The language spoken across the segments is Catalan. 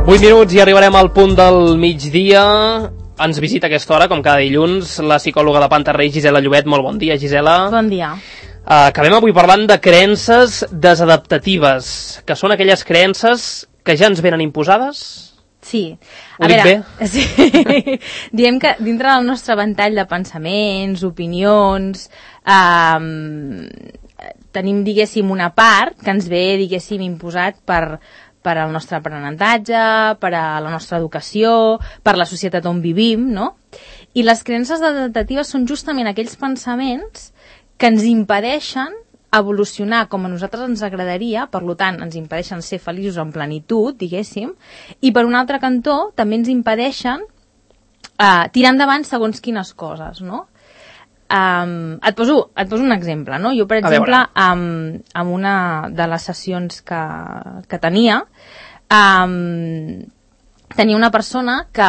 8 minuts i arribarem al punt del migdia. Ens visita a aquesta hora, com cada dilluns, la psicòloga de Pantarrey, Gisela Llobet. Molt bon dia, Gisela. Bon dia. Acabem avui parlant de creences desadaptatives, que són aquelles creences que ja ens venen imposades? Sí. Ho dic bé? Sí. Diem que dintre del nostre ventall de pensaments, opinions, tenim, diguéssim, una part que ens ve, diguéssim, imposat per al nostre aprenentatge, per a la nostra educació, per la societat on vivim, no? I les creences adaptatives són justament aquells pensaments que ens impedeixen evolucionar com a nosaltres ens agradaria, per tant, ens impedeixen ser feliços en plenitud, diguéssim, i per un altre cantó també ens impedeixen tirar endavant segons quines coses, no? Et poso un exemple, no? Jo, per exemple, en una de les sessions que tenia, tenia una persona que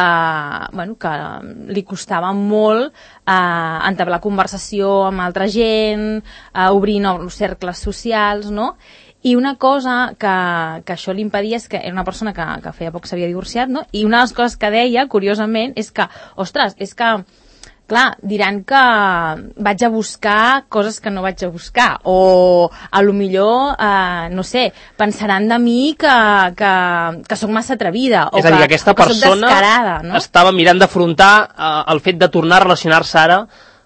li costava molt entablar conversació amb altra gent, obrir nous cercles socials, no? I una cosa que això li impedia és que era una persona que feia poc s'havia divorciat, no? I una de les coses que deia, curiosament, és que, ostres, és que clar, diran que vaig a buscar coses que no vaig a buscar, o a lo millor, no sé, pensaran de mi que sóc massa atrevida, o és a dir, que aquesta persona descarada, no? Estava mirant d'afrontar el fet de tornar a relacionar-se ara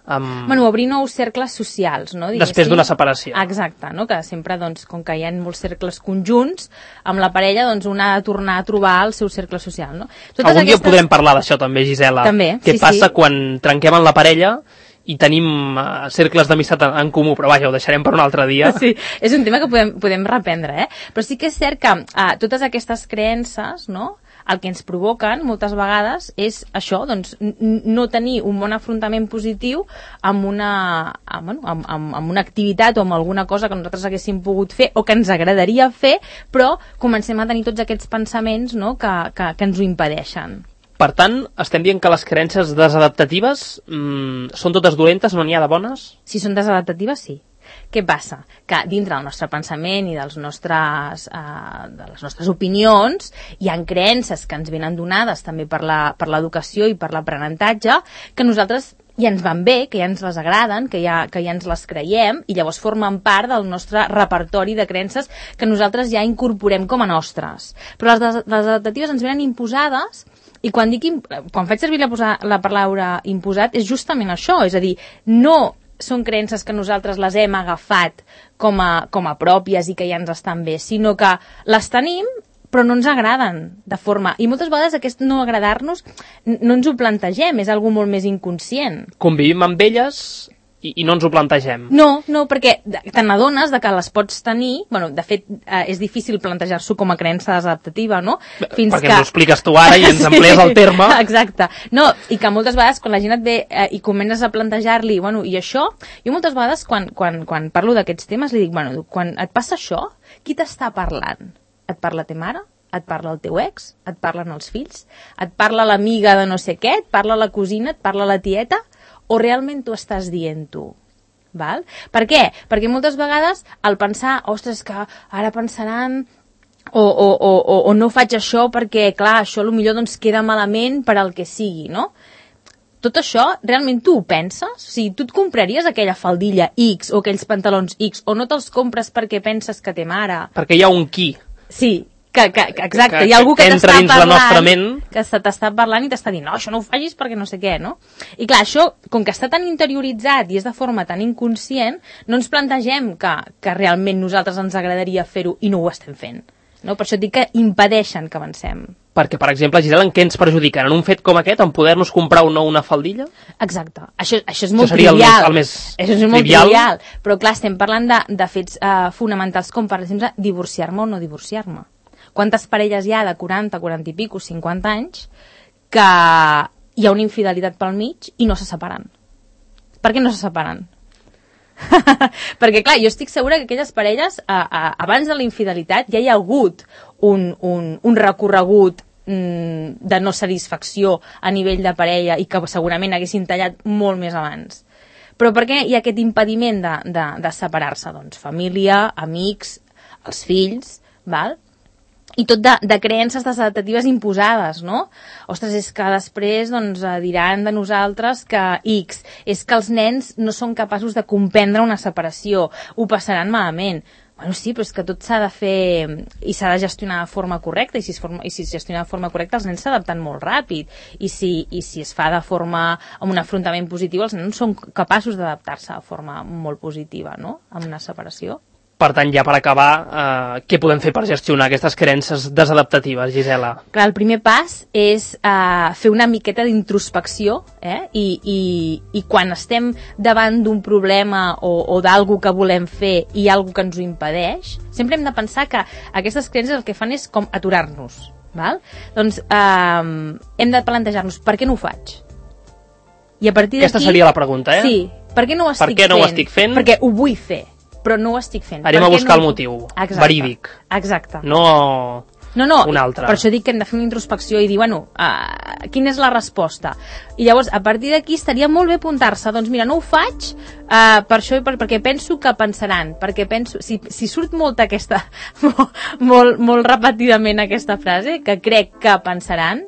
amb... obrir nous cercles socials, no? Després d'una separació. Exacte, no? Que sempre, doncs, com que hi ha molts cercles conjunts, amb la parella, doncs, una ha de tornar a trobar el seu cercle social, no? Algun dia podrem parlar d'això també, Gisela. També, Què passa quan trenquem en la parella i tenim cercles d'amistat en comú, però vaja, ho deixarem per un altre dia. Sí, és un tema que podem reprendre, Però sí que és cert que totes aquestes creences, no?, el que ens provoquen moltes vegades és això, doncs, no tenir un bon afrontament positiu amb una activitat o amb alguna cosa que nosaltres haguéssim pogut fer o que ens agradaria fer, però comencem a tenir tots aquests pensaments, no?, que ens ho impedeixen. Per tant, estem dient que les creences desadaptatives són totes dolentes, no n'hi ha de bones? Si són desadaptatives, sí. Què passa? Que dintre del nostre pensament i de les nostres opinions hi ha creences que ens venen donades també per l'educació i per l'aprenentatge que nosaltres ja ens van bé, que ja ens les agraden, que ja ens les creiem i llavors formen part del nostre repertori de creences que nosaltres ja incorporem com a nostres. Però les adaptatives ens venen imposades i quan faig servir la paraula imposat és justament això, és a dir, no són creences que nosaltres les hem agafat com a pròpies i que ja ens estan bé, sinó que les tenim però no ens agraden de forma... I moltes vegades aquest no agradar-nos no ens ho plantegem, és algo molt més inconscient. Convivim amb elles i no ens ho plantegem. No, perquè te n'adones que les pots tenir... De fet, és difícil plantejar-s'ho com a creença desadaptativa, no? Perquè ens ho expliques tu ara i ens emplees el terme. Exacte. No, i que moltes vegades quan la gent et ve i comences a plantejar-li, i això... Jo moltes vegades quan parlo d'aquests temes li dic, quan et passa això, qui t'està parlant? Et parla ta mare? Et parla el teu ex? Et parlen els fills? Et parla l'amiga de no sé què? Et parla la cosina? Et parla la tieta? O realment t'ho estàs dient tu? Val? Per què? Perquè moltes vegades al pensar, ostres, que ara pensaran o no faig això perquè, clar, això potser doncs queda malament per al que sigui, no? Tot això, realment tu ho penses? O sigui, tu et compraries aquella faldilla X o aquells pantalons X o no te'ls compres perquè penses que té mare? Perquè hi ha un qui. Sí, exacte, hi ha algú que t'està parlant, que t'està parlant i t'està dient, no, això no ho facis perquè no sé què, no? I clar, això, com que està tan interioritzat i és de forma tan inconscient, no ens plantegem que realment nosaltres ens agradaria fer-ho i no ho estem fent, no? Per això et dic que impedeixen que avancem. Perquè, per exemple, Gisela, en què ens perjudiquen? En un fet com aquest, en poder-nos comprar o no una faldilla? Exacte. Això és molt trivial. Això és molt trivial. Però clar, estem parlant de fets fonamentals com, per exemple, divorciar-me o no divorciar-me. Quantes parelles hi ha de 40, 40 i pico, 50 anys que hi ha una infidelitat pel mig i no se separen? Per què no se separen? Perquè, clar, jo estic segura que aquelles parelles, abans de la infidelitat, ja hi ha hagut un recorregut de no satisfacció a nivell de parella i que segurament haguessin tallat molt més abans. Però per què hi ha aquest impediment de separar-se? Doncs família, amics, els fills, val? i tot de creences desadaptatives imposades, no? Ostres, és que després doncs, diran de nosaltres que X, és que els nens no són capaços de comprendre una separació, ho passaran malament. Bueno, sí, però és que tot s'ha de fer i s'ha de gestionar de forma correcta, i si es gestiona de forma correcta els nens s'adapten molt ràpid, i si es fa de forma amb un afrontament positiu, els nens són capaços d'adaptar-se de forma molt positiva, no?, amb una separació. Per tant, ja per acabar, què podem fer per gestionar aquestes creences desadaptatives, Gisela? Clar, el primer pas és fer una miqueta d'introspecció, i quan estem davant d'un problema o d'algú que volem fer i algú que ens ho impedeix, sempre hem de pensar que aquestes creences el que fan és com aturar-nos, val? Doncs hem de plantejar-nos per què no ho faig? I a partir d'aquí... Aquesta seria la pregunta, Sí, per què no ho estic fent? Perquè ho vull fer, però no ho estic fent. Anem a buscar el motiu, verídic. Exacte. No un altre. Per això dic que hem de fer una introspecció i dir, bueno, quina és la resposta? I llavors, a partir d'aquí estaria molt bé apuntar-se, doncs mira, no ho faig per això i perquè penso que pensaran, perquè penso, si surt molt aquesta, molt repetidament aquesta frase, que crec que pensaran,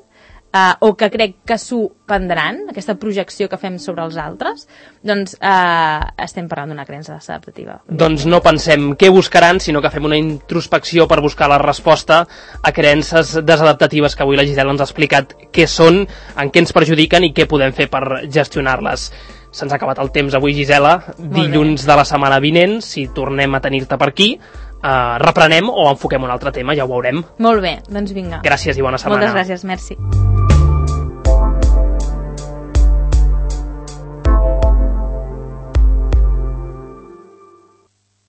o que crec que s'ho prendran, aquesta projecció que fem sobre els altres, doncs estem parlant d'una creença desadaptativa. Doncs no pensem què buscaran, sinó que fem una introspecció per buscar la resposta a creences desadaptatives que avui la Gisela ens ha explicat què són, en què ens perjudiquen i què podem fer per gestionar-les. Se'ns ha acabat el temps avui, Gisela. Dilluns de la setmana vinent, si tornem a tenir-te per aquí, reprenem o enfoquem un altre tema, ja ho veurem. Molt bé, doncs vinga. Gràcies i bona setmana. Moltes gràcies, merci.